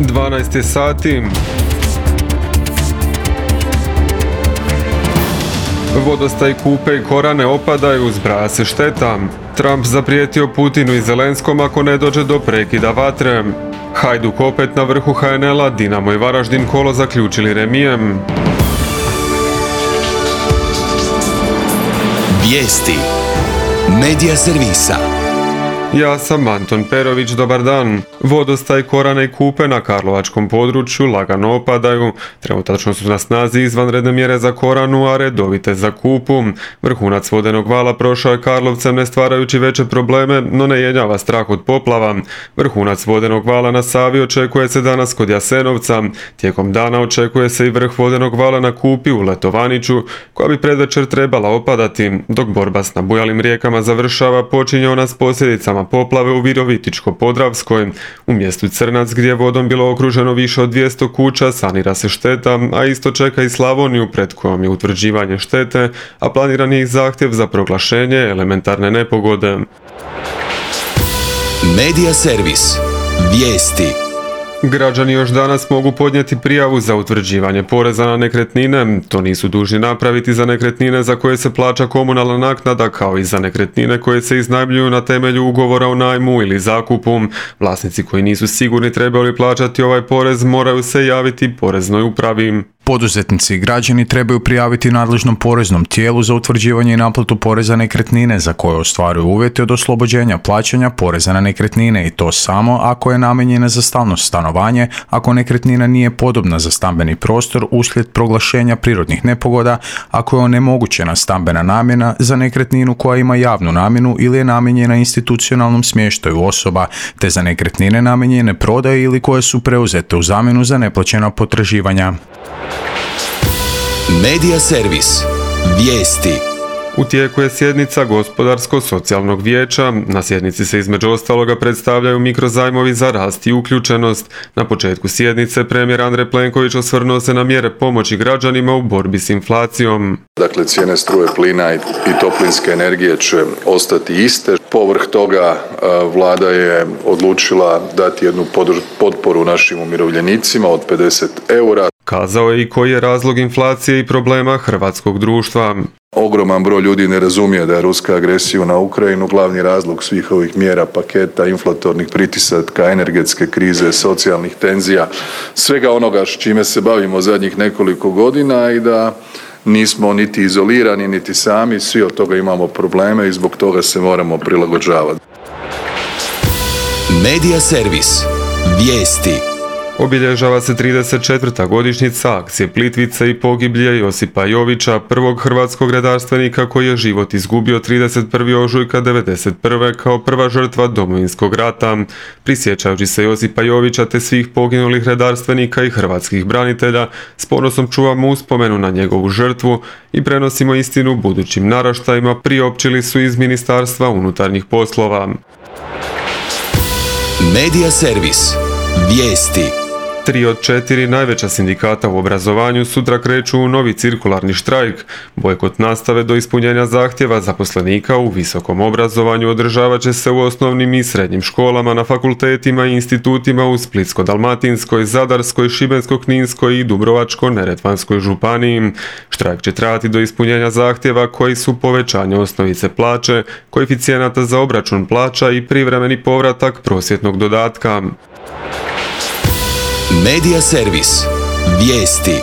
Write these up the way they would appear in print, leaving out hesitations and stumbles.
12 je sati. Vodostaj Kupe i Korane opadaju, zbraja se šteta. Trump zaprijetio Putinu i Zelenskom ako ne dođe do prekida vatre. Hajduk opet na vrhu HNL-a, Dinamo i Varaždin kolo zaključili remijem. Vijesti Medija servisa. Ja sam Anton Perović, dobar dan. Vodostaj Korane i Kupe na karlovačkom području lagano opadaju. Trenutačno su na snazi izvanredne mjere za Koranu, a redovite za Kupu. Vrhunac vodenog vala prošao je Karlovcem ne stvarajući veće probleme, no ne jenjava strah od poplava. Vrhunac vodenog vala na Savi očekuje se danas kod Jasenovca. Tijekom dana očekuje se i vrh vodenog vala na Kupi u Letovaniću, koja bi predvečer trebala opadati, dok borba s nabujalim rijekama završava, počinje ona s posljedicama poplave u Virovitičko-Podravskoj. U mjestu Crnac, gdje je vodom bilo okruženo više od 200 kuća, sanira se šteta, a isto čeka i Slavoniju pred kojom je utvrđivanje štete, a planiran je i zahtjev za proglašenje elementarne nepogode. Medija servis. Vijesti. Građani još danas mogu podnijeti prijavu za utvrđivanje poreza na nekretnine. To nisu dužni napraviti za nekretnine za koje se plaća komunalna naknada, kao i za nekretnine koje se iznajmljuju na temelju ugovora o najmu ili zakupu. Vlasnici koji nisu sigurni trebaju li plaćati ovaj porez moraju se javiti poreznoj upravi. Poduzetnici i građani trebaju prijaviti nadležnom poreznom tijelu za utvrđivanje i naplatu poreza nekretnine za koje ostvaruju uvjete od oslobođenja plaćanja poreza na nekretnine, i to samo ako je namijenjena za stalno stanovanje, ako nekretnina nije podobna za stambeni prostor uslijed proglašenja prirodnih nepogoda, ako je onemogućena stambena namjena za nekretninu koja ima javnu namjenu ili je namijenjena institucionalnom smještaju osoba, te za nekretnine namijenjene prodaji ili koje su preuzete u zamjenu za neplaćena potraživanja. Medija servis. Vijesti. U tijeku je sjednica Gospodarsko-socijalnog vijeća. Na sjednici se između ostaloga predstavljaju mikrozajmovi za rast i uključenost. Na početku sjednice premijer Andrej Plenković osvrnuo se na mjere pomoći građanima u borbi s inflacijom. Dakle, cijene struje, plina i toplinske energije će ostati iste. Povrh toga vlada je odlučila dati jednu potporu našim umirovljenicima od 50 eura. Kazao je i koji je razlog inflacije i problema hrvatskog društva. Ogroman broj ljudi ne razumije da je ruska agresija na Ukrajinu glavni razlog svih ovih mjera, paketa, inflatornih pritisaka, energetske krize, socijalnih tenzija, svega onoga s čime se bavimo zadnjih nekoliko godina, i da nismo niti izolirani, niti sami, svi od toga imamo probleme i zbog toga se moramo prilagođavati. Medija servis. Vijesti. Obilježava se 34. godišnjica akcije Plitvice i pogiblje Josipa Jovića, prvog hrvatskog redarstvenika koji je život izgubio 31. ožujka 1991. kao prva žrtva Domovinskog rata. Prisjećajući se Josipa Jovića te svih poginulih redarstvenika i hrvatskih branitelja, s ponosom čuvamo uspomenu na njegovu žrtvu i prenosimo istinu budućim naraštajima, priopćili su iz Ministarstva unutarnjih poslova. Medija servis. Vijesti. 3 od 4 najveća sindikata u obrazovanju sutra kreću u novi cirkularni štrajk. Bojkot nastave do ispunjenja zahtjeva zaposlenika u visokom obrazovanju održavat će se u osnovnim i srednjim školama, na fakultetima i institutima u Splitsko-dalmatinskoj, Zadarskoj, Šibensko-kninskoj i Dubrovačko-neretvanskoj županiji. Štrajk će trajati do ispunjenja zahtjeva koji su povećanje osnovice plaće, koeficijenata za obračun plaća i privremeni povratak prosvjetnog dodatka. Medija servis. Vijesti.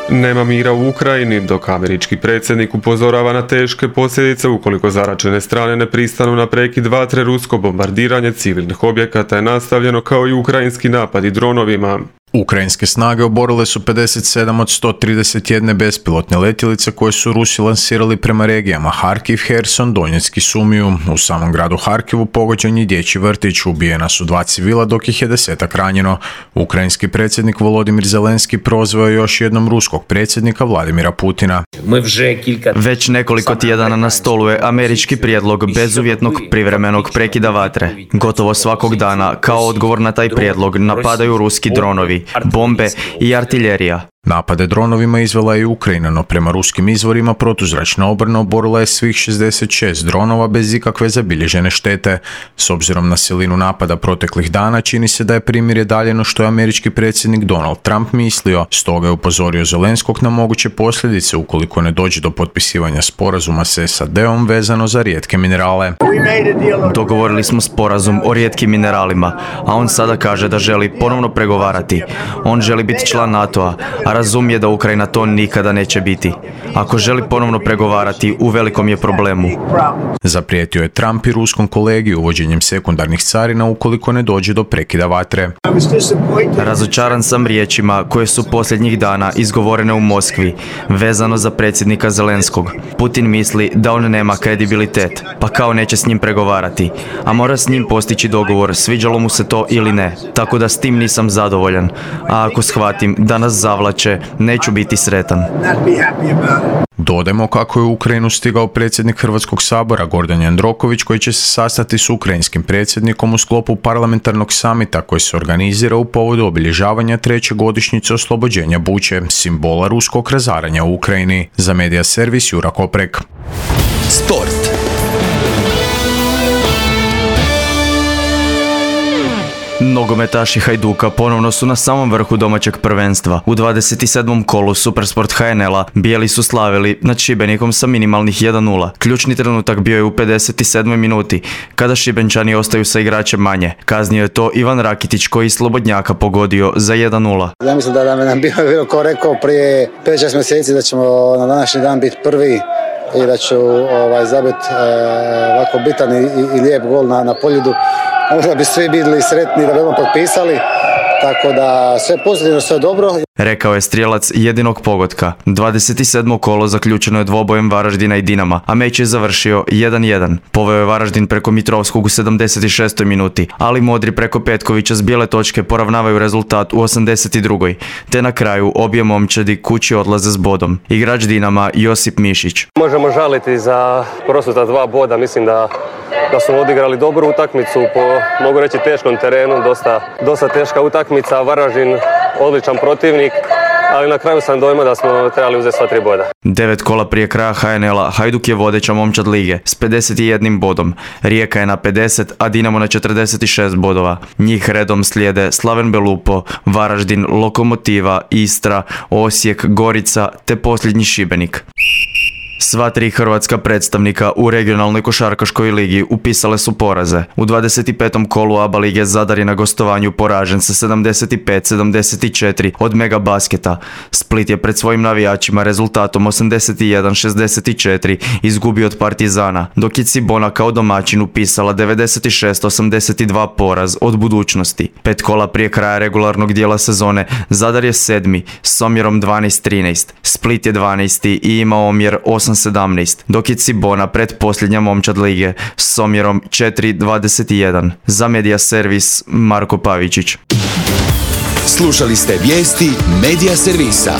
Nema mira u Ukrajini, dok američki predsjednik upozorava na teške posljedice ukoliko zaraćene strane ne pristanu na prekid vatre. Rusko bombardiranje civilnih objekata je nastavljeno, kao i ukrajinski napadi dronovima. Ukrajinske snage oborile su 57 od 131 bespilotne letjelice koje su Rusi lansirali prema regijama Harkiv, Herson, Donjeck i Sumiju. U samom gradu Harkivu pogođen je dječji vrtić, ubijena su 2 civila dok ih je 10-ak ranjeno. Ukrajinski predsjednik Volodimir Zelenski prozvao je još jednom ruskog predsjednika Vladimira Putina. Već nekoliko tjedana na stolu je američki prijedlog bezuvjetnog privremenog prekida vatre. Gotovo svakog dana, kao odgovor na taj prijedlog, napadaju ruski dronovi, bombe i artiljerija. Napade dronovima izvela je i Ukrajina, no prema ruskim izvorima protuzračna obrana oborila je svih 66 dronova bez ikakve zabilježene štete. S obzirom na silinu napada proteklih dana, čini se da je primirje daljeno što je američki predsjednik Donald Trump mislio, stoga je upozorio Zelenskog na moguće posljedice ukoliko ne dođe do potpisivanja sporazuma s SAD-om vezano za rijetke minerale. Dogovorili smo sporazum o rijetkim mineralima, a on sada kaže da želi ponovno pregovarati. On želi biti član NATO-a, a razumije da Ukrajina to nikada neće biti. Ako želi ponovno pregovarati, u velikom je problemu. Zaprijetio je Trump i ruskom kolegi uvođenjem sekundarnih carina ukoliko ne dođe do prekida vatre. Razočaran sam riječima koje su posljednjih dana izgovorene u Moskvi, vezano za predsjednika Zelenskog. Putin misli da on nema kredibilitet, pa kao neće s njim pregovarati, a mora s njim postići dogovor, sviđalo mu se to ili ne, tako da s tim nisam zadovoljan. A ako shvatim da nas zavlače, neću biti sretan. Dodajmo kako je u Ukrajinu stigao predsjednik Hrvatskog sabora Gordan Jandroković, koji će se sastati s ukrajinskim predsjednikom u sklopu parlamentarnog samita koji se organizira u povodu obilježavanja 3. godišnjice oslobođenja Buče, simbola ruskog razaranja u Ukrajini. Za Medija servis Jura Koprek. Sport. Nogometaši Hajduka ponovno su na samom vrhu domaćeg prvenstva. U 27. kolu Supersport HNL-a bijeli su slavili nad Šibenikom sa minimalnih 1-0. Ključni trenutak bio je u 57. minuti, kada Šibenčani ostaju sa igračem manje. Kaznio je to Ivan Rakitić koji iz Slobodnjaka pogodio za 1-0. Ja mislim da nam bilo ko rekao prije 5-6 mjeseci da ćemo na današnji dan biti prvi i da ću zabiti ovako bitan i lijep gol na Poljudu. Možda bi svi bili sretni da bi ono potpisali, tako da sve pozitivno, sve dobro. Rekao je strijelac jedinog pogotka. 27. kolo zaključeno je dvobojem Varaždina i Dinama, a meč je završio 1-1. Poveo je Varaždin preko Mitrovskog u 76. minuti, ali Modri preko Petkovića s bijele točke poravnavaju rezultat u 82. Te na kraju obje momčadi kući odlaze s bodom. Igrač Dinama Josip Mišić. Možemo žaliti za prosuta 2 boda, mislim da smo odigrali dobru utakmicu po, mogu reći, teškom terenu, dosta teška utakmica, Varaždin odličan protivnik, ali na kraju sam dojma da smo trebali uzeti sva 3 boda. 9 kola prije kraja HNL-a Hajduk je vodeća momčad lige s 51 bodom. Rijeka je na 50, a Dinamo na 46 bodova. Njih redom slijede Slaven Belupo, Varaždin, Lokomotiva, Istra, Osijek, Gorica te posljednji Šibenik. Sva 3 hrvatska predstavnika u regionalnoj košarkaškoj ligi upisale su poraze. U 25. kolu ABA lige Zadar je na gostovanju poražen sa 75-74 od Mega Basketa. Split je pred svojim navijačima rezultatom 81-64 izgubio od Partizana, dok je Cibona kao domaćin upisala 96-82 poraz od Budućnosti. 5 kola prije kraja regularnog dijela sezone Zadar je 7. s omjerom 12-13. Split je 12. i ima omjer 8-17, dok je Cibona pretposljednja momčad lige s omjerom 4-21. Za Medija servis Marko Pavičić. Slušali ste vijesti Medija servisa.